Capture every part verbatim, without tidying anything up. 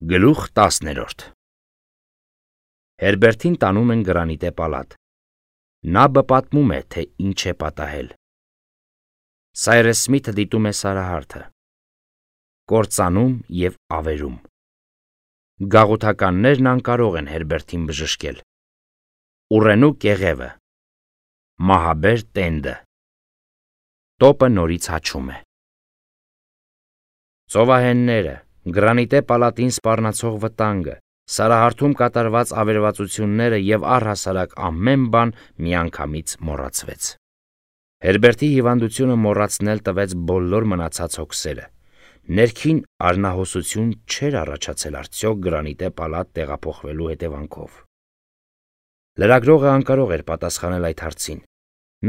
Գլուխ տասներորդ Հերբերտին տանում են գրանիտե պալատ։ Նա բպատմում է, թե ինչ է պատահել։ Սայրես Սմիթը դիտում է Սարահարթը։ Կործանում և ավերում։ Գաղութականներն անկարող են Հերբերտին բժշկել։ Ուռենու կեղևը։ Մահաբեր տենդը։ Տոպը նորից հաչում է։ Ծովահենները, գրանիտե պալատին սպառնացող վտանգը, Սարահարթում կատարված ավերվածությունները և առհասարակ ամեն բան միանգամից մոռացվեց։ Հերբերտի հիվանդությունը մոռացնել տվեց բոլոր մնացած հոգսերը։ Ներքին արնահոսություն չէր առաջացել արդյոք գրանիտե պալատ տեղափոխվելու հետևանքով։ Լրագրողը անկարող էր պատասխանել այդ հարցին։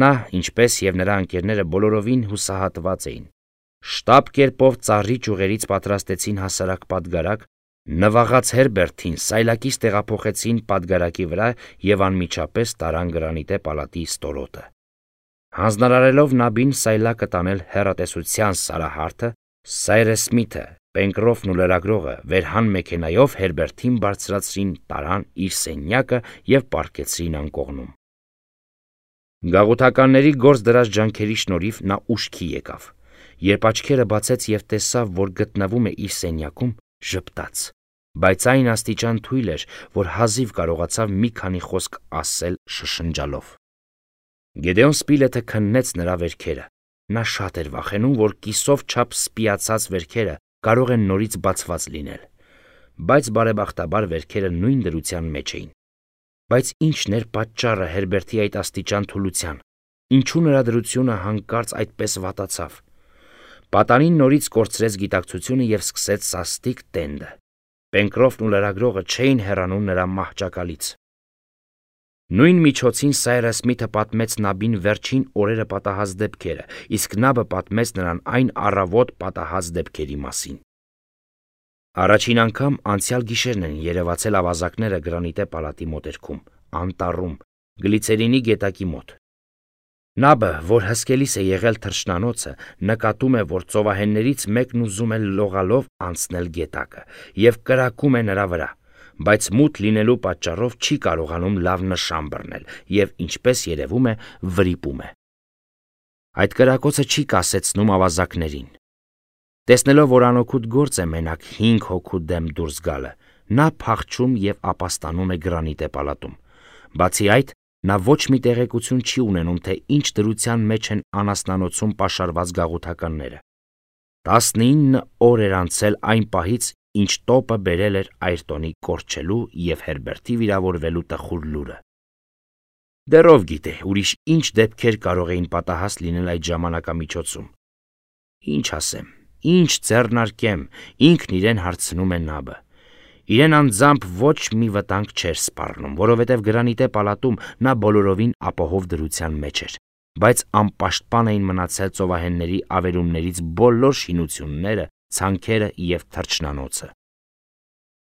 Նա, ինչպես և նրա ընկերները բոլորովին հուսահատված էին։ Շտապ կերպով ծառի ճյուղերից պատրաստեցին հասարակ պատգարակ, նվաղած Հերբերտին սայլակից տեղափոխեցին պատգարակի վրա և անմիջապես տարան գրանիտե պալատի ստորոտը։ Հանձնարարելով Նաբին սայլակը տանել հեռատեսության Սարահարթը, Սայրես Սմիթը, Պենկրոֆն ու լրագրողը վերհան մեքենայով Հերբերտին բարձրացրին, տարան իր սենյակը և պառկեցրին անկողնում։ Գաղութականների գործ դրած ջանքերի շնորհիվ նա ուշքի եկավ։ Երբ աչքերը բացեց և տեսավ, որ գտնվում է իր սենյակում, ժպտաց, բայց այն աստիճան թույլ էր, որ հազիվ կարողացավ մի քանի խոսք ասել շշնջալով։ Գեդեոն Սպիլեթը քննեց նրա վերքերը։ Նա շատ էր վախենում, որ կիսով չափ սպիացած վերքերը կարող են նորից բացված լինել, բայց բարեբախտաբար վերքերը նույն դրության մեջ էին։ Բայց ի՞նչն էր պատճառը Հերբերտի այդ աստիճան թուլության, ինչու նրա դրությունը հանկարծ այդպես վատացավ։ Պատանին նորից կորցրեց գիտակցությունը և սկսեց սաստիկ տենդը։ Պենկրոֆն ու լրագրողը չէին հեռանում նրա մահճակալից։ Նույն միջոցին Սայրես Սմիթը պատմեց Նաբին վերջին օրերը պատահած դեպքերը, իսկ Նաբը պատմեց նրան այն առավոտ պատահած դեպքերի մասին։ Առաջին անգամ անցյալ գիշերն են երևացել ավազակները գրանիտե պալատի մոտերքում, անտառում, գլիցերինի գետակի մոտ։ Նաբը, որ հսկելիս է եղել թռչնանոցը, նկատում է, որ ծովահեններից մեկն ուզում է լողալով անցնել գետակը և կրակում է նրա վրա, բայց մութ լինելու պատճառով չի կարողանում լավ նշան բռնել և, ինչպես երևում է, վրիպում է։ Այդ կրակոցը չի կասեցնում ավազակներին։ Տեսնելով, որ անօգուտ գործ է մենակ հինգ հոգու դեմ դուրս գալը, նա փախչում և ապաստանում է գրանիտե պալատում։ Բացի այդ, նա ոչ մի տեղեկություն չի ունենում, թե ինչ դրության մեջ են անասնանոցում պաշարված գաղութականները։ Տասնինը օր էր անցել այն պահից, ինչ տոպը բերել էր Այրտոնի կորչելու և Հերբերտի վիրավորվելու տխուր լուրը։ Դեռ ով գիտե, ուրիշ ինչ դեպքեր կարող էին պատահած լինել այդ ժամանակամիջոցում։ Ինչ ասեմ, ինչ ձեռնարկեմ, ինքն իրեն հարցնում է Նաբը։ Իրեն անձամբ ոչ մի վտանգ չէր սպառնում, որովհետև գրանիտե պալատում նա բոլորովին ապահով դրության մեջ էր, բայց անպաշտպան էին մնացել ծովահենների ավերումներից բոլոր շինությունները, ցանքերը և թռչնանոցը։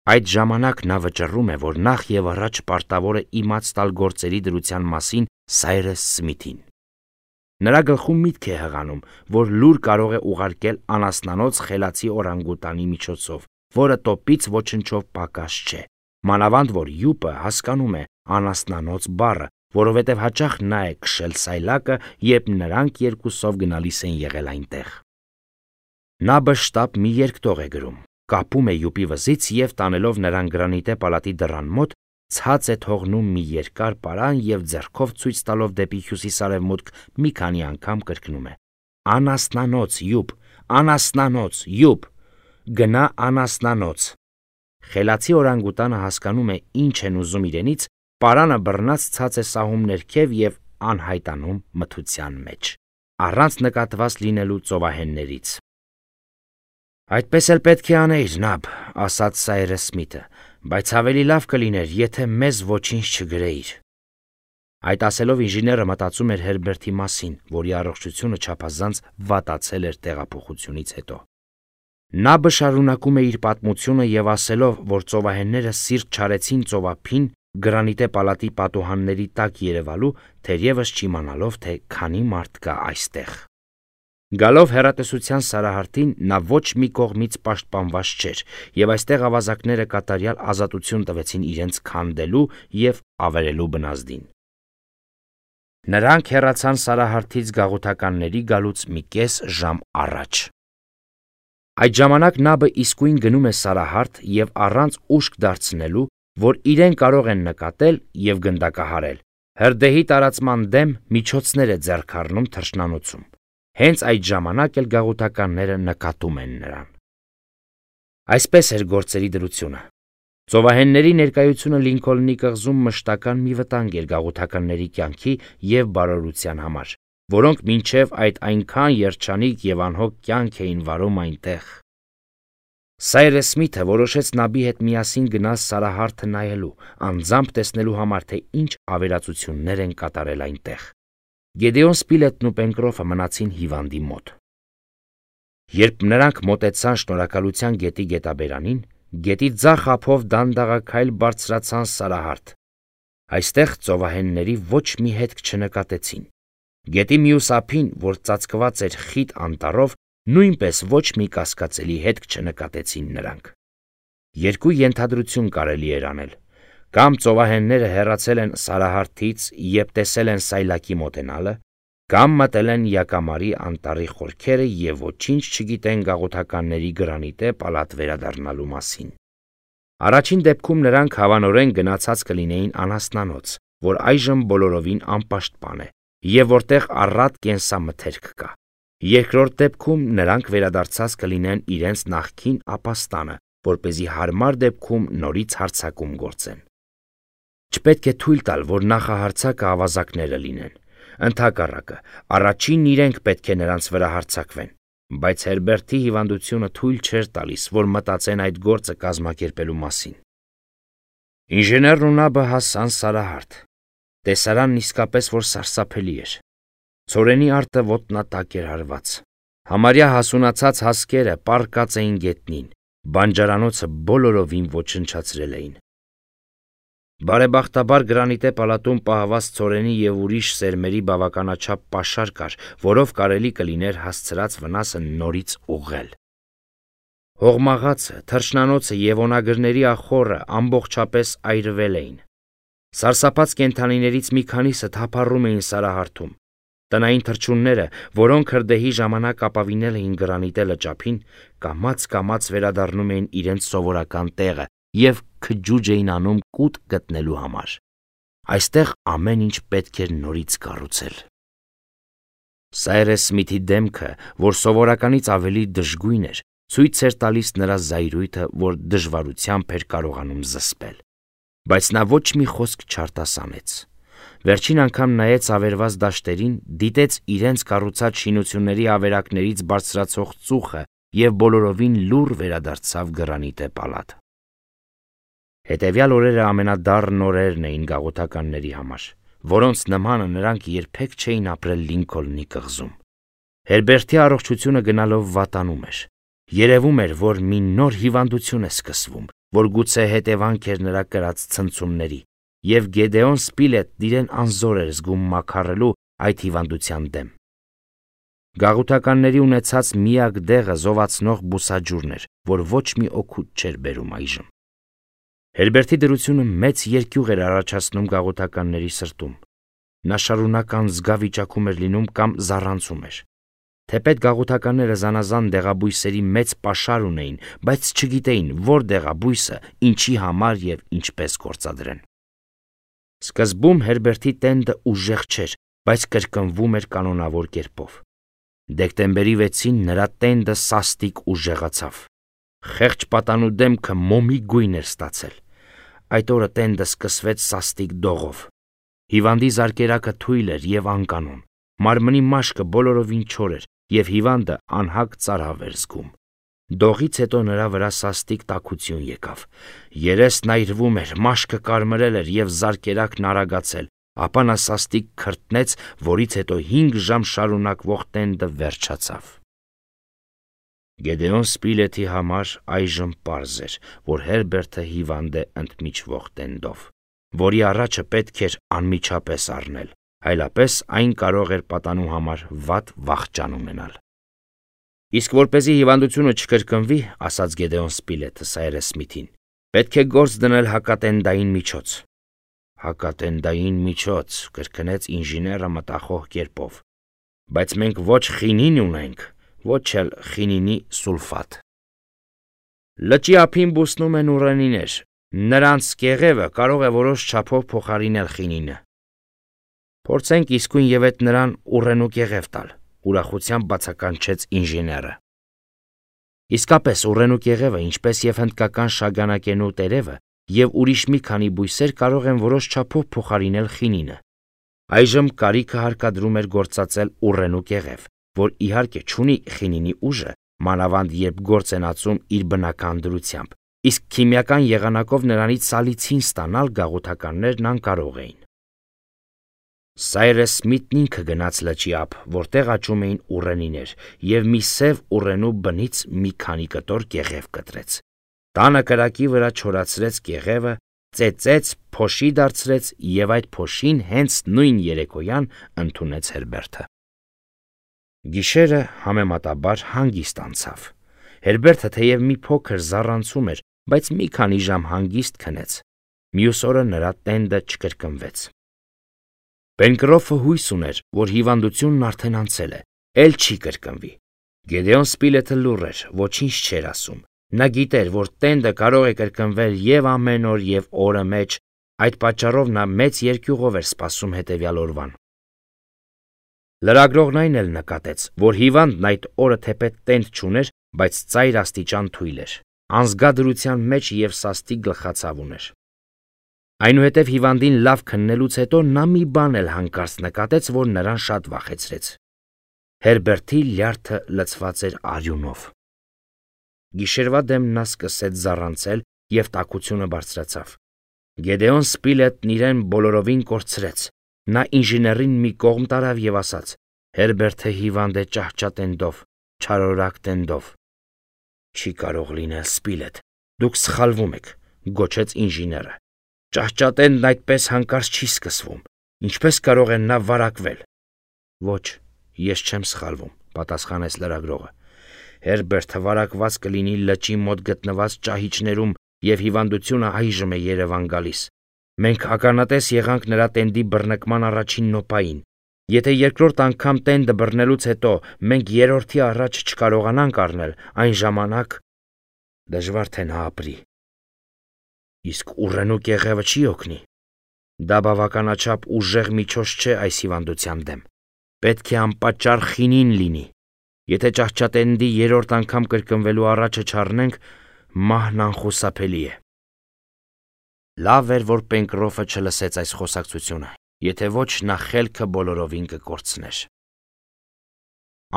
Այդ ժամանակ նա վճռում է, որ նախ և առաջ պարտավոր է իմաց տալ գործերի դրության մասին Սայրես Սմիթին։ Նրա գլխում միտք է հղանում, որ լուր կարող է ուղարկել անասնանոց խելացի օրանգուտանի միջոցով, որը տոպից ոչնչով պակաս չէ, մանավանդ որ Յուպը հասկանում է անասնանոց բառը, որովհետև հաճախ նա է քշել սայլակը, երբ նրանք երկուսով գնալիս են եղել այնտեղ։ Նաբը շտապ մի երկտող է գրում, կապում է Յուպի վզից և տանելով նրան գրանիտե պալատի դռան մոտ, ցած է թողնում մի երկար պարան և ձեռքով ցույց տալով դեպի հյուսիսարևմուտք մի քանի անգամ կրկնում է. «Անասնանոց, Յուպ, անասնանոց, Յուպ, գնա անասնանոց»։ Խելացի օրանգուտանը հասկանում է ինչ են ուզում իրենից, պարանը բռնած ցած է սահում ներքև և անհայտանում մթության մեջ, առանց նկատված լինելու ծովահեններից։ «Այդպես էլ պետք է անեիր, Նաբ», ասաց Սայրես Սմիթը, «բայց ավելի լավ կլիներ, եթե մեզ ոչինչ չգրեիր»։ Այդ ասելով ինժեները մտածում էր Հերբերտի մասին, որի առողջությունը չափազանց վատացել էր տեղափոխությունից հետո։ Նաբը շարունակում է իր պատմությունը և ասելով, որ ծովահենները սիրտ չարեցին ծովափին գրանիտե պալատի պատուհանների տակ երևալու, թերևս չիմանալով, թե քանի մարդ կա այստեղ։ Գալով հեռատեսության սարահարթին նա ոչ մի կողմից պաշտպանված չէր, և այստեղ ավազակները կատարյալ ազատություն տվեցին իրենց քանդելու և ավերելու բնազդին։ Նրանք հեռացան սարահարթից գաղութականների գալուց մի կես ժամ առաջ։ Այդ ժամանակ նաբը իսկույն գնում է սարահարթ և առանց ուշք դարձնելու, որ իրեն կարող են նկատել և գնդակահարել, հրդեհի տարածման դեմ միջոցներ է ձեռք առնում թռչնանոցում։ Հենց այդ ժամանակ էլ գաղութականները նկատում են նրան։ Այսպես էր գործերի դրությունը։ Ծովահենների ներկայությունը Լինքոլնի կղզում մշտական մի վտանգ էր գաղութականների կյանքի և բարօրության համար, որոնք մինչև այդ այնքան երջանիկ և անհոգ կյանք էին վարում այնտեղ։ Սայրես Սմիթը որոշեց նաբի հետ միասին գնալ սարահարթը նայելու, անձամբ տեսնելու համար, թե ինչ ավերածություններ են կատարել այնտեղ։ Գեդեոն Սպիլետն ու Պենկրոֆը մնացին հիվանդի մոտ։ Երբ նրանք մոտեցան Շնորհակալության գետի գետաբերանին, գետի ձախ ափով դանդաղաքայլ բարձրացան սարահարթ։ Այստեղ ծովահենների ոչ մի հետք չնկատեցին։ Գետի մյուս ափին, որ ծածկված էր խիտ անտառով, նույնպես ոչ մի կասկածելի հետք չնկատեցին նրանք։ Երկու ենթադրություն կարելի էր անել. կամ ծովահենները հեռացել են սարահարթից, երբ տեսել են սայլակի մոտենալը, կամ մտել են Յակամարի անտառի խորքերը և ոչինչ չգիտեն գաղութականների գրանիտե պալատ վերադառնալու մասին։ Առաջին դեպքում նրանք հավանորեն գնացած կլինեին անասնանոց, որ այժմ բոլորովին անպաշտպան է, և որտեղ առատ կենսամթերք կա։ Երկրորդ դեպքում նրանք վերադարձած կլինեն իրենց նախկին ապաստանը, որպեսզի հարմար դեպքում նորից հարձակում գործեն։ Չպետք է թույլ տալ, որ նախահարձակը ավազակները լինեն։ Ընդհակառակը, առաջինն իրենք պետք է նրանց վրա հարձակվեն, բայց Հերբերտի հիվանդությունը թույլ չէր տալիս, որ մտածեն այդ գործը կազմակերպելու մասին։ Ինժեներն ու նաբը հասան սարահարթ։ Տեսարանն իսկապես որ սարսափելի էր։ Ցորենի արտը ոտնատակ էր հարված։ Համարյա հասունացած հասկերը պառկած էին գետնին, բանջարանոցը բոլորովին ոչնչացրել էին։ Բարեբախտաբար գրանիտե պալատում պահված ցորենի և ուրիշ սերմերի բավականաչափ պաշար կար, որով կարելի կլիներ հասցրած վնասը նորից ուղղել։ Հողմաղացը, թռչնանոցը և օնագրների ախոռը ամբողջապես այրվել էին։ Սարսափած կենդանիներից մի քանիսը թափառում էին սարահարթում։ Տնային թռչունները, որոնք հրդեհի ժամանակ ապավինել էին գրանիտե լճափին, կամաց-կամաց վերադառնում էին իրենց սովորական տեղը և քջուջ էին անում կուտ գտնելու համար։ Այստեղ ամեն ինչ պետք էր նորից կառուցել։ Սայրես Սմիթի դեմքը, որ սովորականից ավելի դժգույն էր, ցույց էր տալիս նրա զայրույթը, որ դժվարությամբ էր կարողանում զսպել։ Բայց նա ոչ մի խոսք չարտասանեց։ Վերջին անգամ նայեց ավերված դաշտերին, դիտեց իրենց կառուցած շինությունների ավերակներից բարձրացող ծուխը և բոլորովին լուռ վերադարձավ գրանիտե պալատ։ Հետևյալ օրերը ամենադառն օրերն էին գաղութականների համար, որոնց նմանը նրանք երբեք չէին ապրել Լինքոլնի կղզում։ Հերբերտի առողջությունը գնալով վատանում էր։ Երևում էր, որ մի նոր հիվանդություն է սկսվում, որ գուցե հետևանք էր նրա կրած ցնցումների, և Գեդեոն Սպիլետն իրեն անզոր էր զգում մաքարելու այդ հիվանդության դեմ։ Գաղութականների ունեցած միակ դեղը զովացնող բուսաջուրն էր, որ ոչ մի օգուտ չէր բերում այժմ։ Հերբերտի դրությունը մեծ երկյուղ էր առաջացնում գաղութականների սրտում։ Նա շարունակ անզգա վիճակում էր լինում կամ զառանցում էր։ Թեպետ գաղութականները զանազան դեղաբույսերի մեծ պաշար ունեին, բայց չգիտեին, որ դեղաբույսը ինչի համար և ինչպես գործադրեն։ Սկզբում Հերբերտի տենդը ուժեղ չէր, բայց կրկնվում էր կանոնավոր կերպով։ Դեկտեմբերի վեցին նրա տենդը սաստիկ ուժեղացավ։ Խեղճ պատանու դեմքը մոմի գույն էր ստացել։ Այդ օրը տենդը սկսվեց սաստիկ դողով։ Հիվանդի զարկերակը թույլ էր և անկանոն։ Մարմնի մաշկը բոլորովին չոր էր, և հիվանդը անհագ ծարավ էր զգում։ Դողից հետո նրա վրա սաստիկ տաքություն եկավ։ Երեսն այրվում էր, մաշկը կարմրել էր և զարկերակն արագացել, ապա նա սաստիկ քրտնեց, որից հետո հինգ ժամ շարունակվող տենդը վերջացավ։ Գեդեոն Սպիլետի համար այժմ պարզ էր, որ Հերբերտը հիվանդ է ընդմիջվող տենդով, որի առաջը պետք էր անմիջապես առնել, այլապես այն կարող էր պատանու համար վատ վախճան ունենալ։ Իսկ որպեսզի հիվանդությունը չկրկնվի, ասաց Գեդեոն Սպիլետը Սայրես Սմիթին, պետք է գործ դնել հակատենդային միջոց։ Հակատենդային միջոց, կրկնեց ինժեները մտախոհ կերպով, բայց մենք ոչ խինին ունենք, ոչ էլ խինինի սուլֆատ։ Լճի ափին բուսնում են ուռենիներ, նրանց կեղևը կարող է որոշ չափով փոխարինել խինինը։ Փորձենք իսկույն եւ այդ նրան ուռենու կեղև տալ, ուրախությամբ բացականչեց ինժեները։ Իսկապես ուռենու կեղևը, ինչպես եւ հնդկական շագանակենու տերևը եւ ուրիշ մի քանի բույսեր կարող են որոշ չափով փոխարինել խինինը։ Այժմ կարիքը հարկադրում էր գործածել ուռենու կեղև, որ իհարկե չունի խինինի ուժը, մանավանդ երբ գործ են ածում իր բնական դրությամբ, իսկ քիմիական եղանակով նրանից սալիցին ստանալ գաղութականներն անկարող էին։ Սայրես Սմիթն ինքը գնաց լճի ափ, որտեղ աճում էին ուռենիներ, եւ մի սև ուռենու բնից մի քանի կտոր կեղև կտրեց։ Տանը կրակի վրա չորացրեց կեղևը, ծեծեց, փոշի դարձրեց եւ այդ փոշին հենց նույն երեկոյան ընդունեց Հերբերտը։ Գիշերը համեմատաբար հանգիստ անցավ։ Հերբերտը թեև մի փոքր զառանցում էր, բայց մի քանի ժամ հանգիստ քնեց։ Մյուս օրը նրա տենդը չկրկնվեց։ Պենկրոֆը հույս ուներ, որ հիվանդությունն արդեն անցել է, էլ չի կրկնվի։ Գեդեոն Սպիլետը լուռ էր, ոչինչ չէր ասում։ Նա գիտեր, որ տենդը կարող է կրկնվել եւ ամեն օր եւ օրը մեջ, այդ պատճառով նա մեծ երկյուղով էր սպասում հետեւյալ օրվան։ Լրագրողն այն էլ նկատեց, որ հիվանդն այդ օրը թեպետ տենդ չուներ, բայց ծայր աստիճան թույլ էր, անզգա մեջ եւ սաստիկ գլխացավ ուներ։ Այնուհետև հիվանդին լավ քննելուց հետո նա մի բան էլ հանկարծ նկատեց, որ նրան շատ վախեցրեց։ Հերբերտի լյարդը լցված էր արյունով։ Գիշերվա դեմ նա սկսեց զառանցել եւ տաքությունը բարձրացավ։ Գեդեոն Սպիլետն իրեն բոլորովին կորցրեց։ Նա ինժեներին մի կողմ տարավ եւ ասաց. Հերբերտը հիվանդ է ճահճատենդով, չարորակ տենդով։ Չի կարող լինել, Սպիլետ, դուք սխալվում եք, գոչեց ինժեները։ Ճահճատենդն այդպես հանկարծ չի սկսվում, ինչպես կարող է նա վարակվել։ Ոչ, ես չեմ սխալվում, պատասխանեց լրագրողը։ Հերբերտը վարակված կլինի լճի մոտ գտնված ճահիճներում եւ հիվանդությունը այժմ է Երևան գալիս։ Մենք ականատես եղանք նրա տենդի բռնկման առաջին նոպային։ Եթե երկրորդ անգամ տենդը բռնելուց հետո մենք երրորդի առաջ չկարողանանք առնել, այն ժամանակ դժվար թե նա ապրի։ Իսկ ուռենու կեղևը չի օգնի։ Դա բավականաչափ ուժեղ միջոց չէ այս հիվանդության դեմ։ Պետք է անպատճառ խինին լինի։ Եթե ճահճատենդի երրորդ անգամ կրկնվելու առաջը չառնենք, մահն անխուսափելի է։ Լավ էր, որ Պենկրոֆը չլսեց այս խոսակցությունը, եթե ոչ նա խելքը բոլորովին կկորցներ։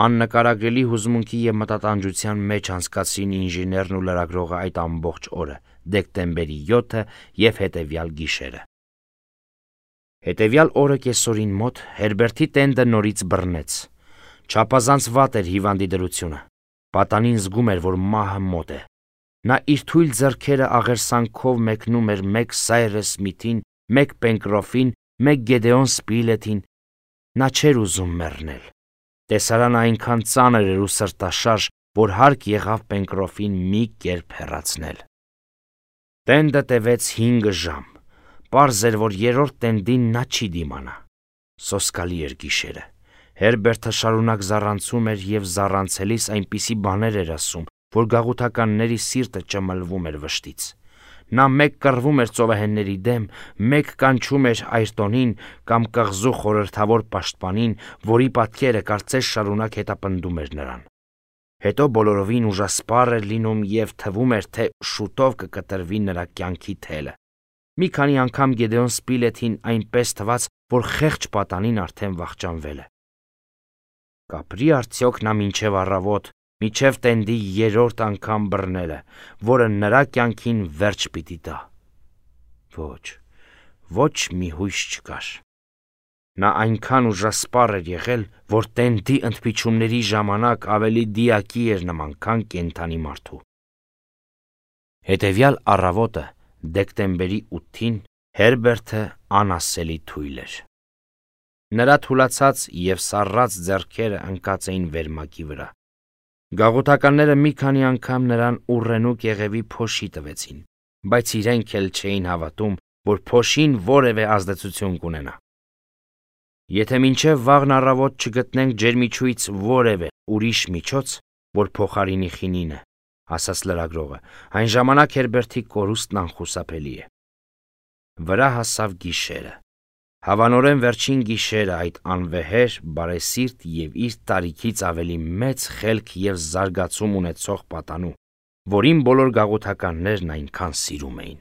Աննկարագրելի հուզմունքի եւ մտատանջության մեջ անցկացրին ինժեներն ու լրագրողը այդ ամբողջ օրը, դեկտեմբերի յոթը եւ հետեւյալ գիշերը։ Հետեւյալ օրը կեսօրին մոտ Հերբերտի տենդը նորից բռնեց։ Չափազանց վատ էր հիվանդի դրությունը։ Պատանին զգում էր, որ մահը մոտ է։ Նա իր թույլ ձեռքերը աղերսանքով մեկնում էր մեկ Սայրես Սմիթին, մեկ Պենկրոֆին, մեկ Գեդեոն Սպիլետին։ Նա չէր ուզում մեռնել։ Տեսարանը այնքան ծանր էր ու սրտաշարժ, որ հարկ եղավ Պենկրոֆին մի կերպ հեռացնել։ Տենդը տևեց հինգ ժամ։ Պարզ էր, որ երրորդ տենդին նա չի դիմանա։ Սոսկալի էր գիշերը։ Հերբերտը շարունակ զառանցում էր եւ զառանցելիս այնպիսի բաներ էր ասում, որ գաղութականների սիրտը ճմլվում էր վշտից։ Նա մեկ կռվում էր ծովահենների դեմ, մեկ կանչում էր Այրտոնին կամ կղզու խորհրդավոր պաշտպանին, որի պատկերը կարծես շարունակ հետապնդում էր նրան։ Հետո բոլորովին ուժասպառ էր լինում եւ թվում էր, թե շուտով կկտրվի նրա կյանքի թելը։ Մի քանի անգամ Գեդեոն Սպիլետին այնպես թվաց, որ խեղճ պատանին արդեն վախճանվել է։ Կապրի արդյոք նա մինչև առավոտ, մինչև տենդի երրորդ անգամ բռնելը, որը նրա կյանքին վերջ պիտի տա։ Ոչ, ոչ մի հույս չկար։ Նա այնքան ուժասպառ էր եղել, որ տենդի ընդմիջումների ժամանակ ավելի դիակի էր նման, քան կենդանի մարդու։ Հետևյալ առավոտը, դեկտեմբերի ութին, Հերբերտը անասելի թույլ էր։ Նրա թուլացած եւ սառած ձեռքերը ընկած էին վերմակի վրա։ Գաղութականները մի քանի անգամ նրան ուռենուկ եղևի փոշի տվեցին, բայց իրենք էլ չէին հավատում, որ փոշին որևէ ազդեցություն կունենա։ Եթե մինչև վաղն առավոտ չգտնենք ջերմիչույց որևէ ուրիշ միջոց, որ փոխարինի խինինը, ասաց լրագրողը, այն ժամանակ Հերբերտի կորուստն անխուսափելի է։ Վրա հասավ գիշերը։ Հավանորեն վերջին գիշերը այդ անվեհեր, բարեսիրտ և իր տարիքից ավելի մեծ խելք և զարգացում ունեցող պատանու, որին բոլոր գաղութականներն այնքան սիրում էին։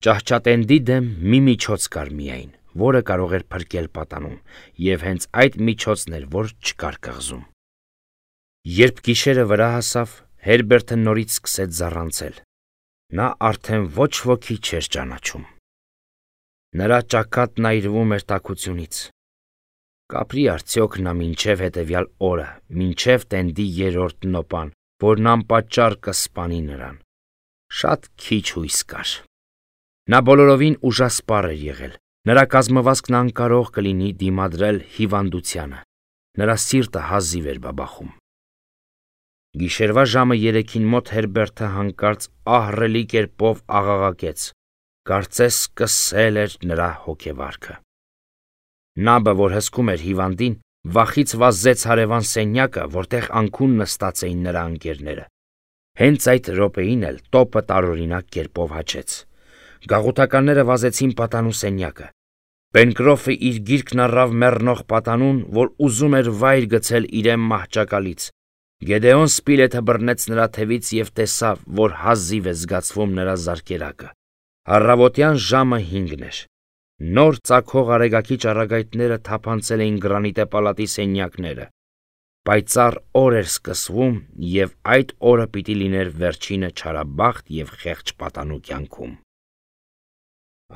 Ճահճատենդի դեմ մի միջոց կար միայն, որը կարող էր փրկել պատանուն, և հենց այդ միջոցն էր, որ չկար կղզում։ Երբ գիշերը վրա հասավ, Հերբերտը նորից սկսեց զառանցել։ Նա արդեն ոչ ոքի չէր ճանաչում։ Նրա ճակատն այրվում էր տաքությունից։ Կապրի արդյոք նա մինչև հետևյալ օրը, մինչև տենդի երրորդ նոպան, որն անպատճառ կսպանի նրան։ Շատ քիչ հույս կար։ Նա բոլորովին ուժասպառ էր եղել։ Նրա կազմվածքն անկարող կլինի դիմադրել հիվանդությանը։ Նրա սիրտը հազիվ էր բաբախում։ Գիշերվա ժամը երեքին մոտ Հերբերտը հանկարծ ահռելի կերպով աղաղակեց, կարծես սկսել էր նրա հոգեվարքը։ Նաբը, որ հսկում էր հիվանդին, վախից վազեց հարևան սենյակը, որտեղ անքուն նստած էին նրա ընկերները։ Հենց այդ րոպեին էլ տոպը տարօրինակ կերպով հաչեց։ Գաղութականները վազեցին պատանու սենյակը։ Պենկրոֆը իր գիրկն առավ մեռնող պատանուն, որ ուզում էր վայր գցել իրեն մահճակալից։ Գեդեոն Սպիլեթը բռնեց նրա թևից և տեսավ, որ հազիվ է զգացվում նրա զարկերակը։ Առավոտյան ժամը հինգն էր։ Նոր ծագող արեգակի ճառագայթները թափանցել էին գրանիտե պալատի սենյակները։ Պայծառ օր էր սկսվում, և այդ օրը պիտի լիներ վերջինը չարաբախտ և խեղճ պատանու կյանքում։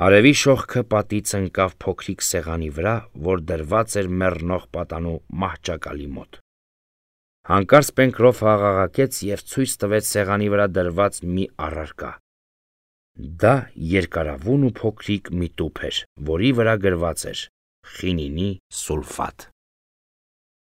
Արևի շողքը պատից ընկավ փոքրիկ սեղանի վրա, որ դրված էր մեռնող պատանու մահճակալի մոտ։ Հանկարծ Պենկրոֆը աղաղակեց և ցույց տվեց սեղանի վրա դրված մի առարկա։ Դա երկարավուն ու փոքրիկ մի տուփ էր, որի վրա գրված էր «Խինինի սուլֆատ»։